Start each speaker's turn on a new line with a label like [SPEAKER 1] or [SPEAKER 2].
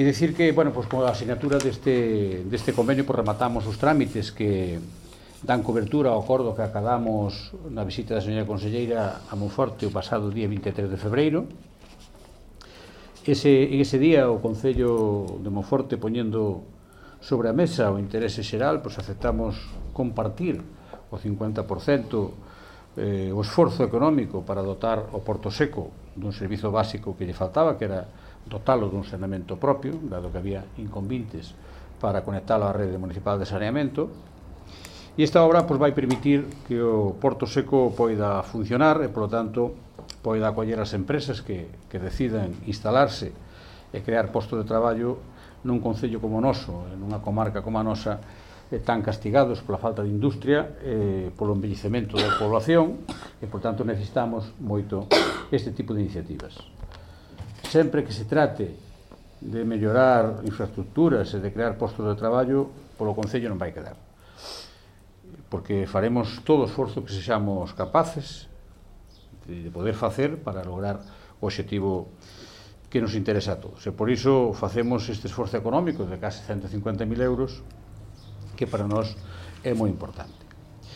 [SPEAKER 1] E dicir que, bueno, pues, con a asignatura deste convenio, pues, rematamos os trámites que dan cobertura ao acordo que acadamos na visita da señora conselleira a Monforte o pasado día 23 de febreiro. Ese día o Concello de Monforte, poñendo sobre a mesa o interese xeral, pues, aceptamos compartir o 50% o esforzo económico para dotar o Porto Seco dun servizo básico que lle faltaba, que era dotalo dun saneamento propio, dado que había inconvintes para conectalo á rede municipal de saneamento. E esta obra, pues, vai permitir que o Porto Seco poida funcionar e, polo tanto, poida acoller as empresas que decidan instalarse e crear postos de traballo nun concello como o noso, nunha comarca como a nosa, tan castigados pola falta de industria, polo envellecemento da población, e, por tanto, necesitamos moito este tipo de iniciativas. Sempre que se trate de mellorar infraestructuras e de crear postos de traballo, polo Concello non vai quedar. Porque faremos todo o esforzo que sexamos capaces de poder facer para lograr o obxectivo que nos interesa a todos. E por iso facemos este esforzo económico de case 150.000 euros, que para nós é moi importante.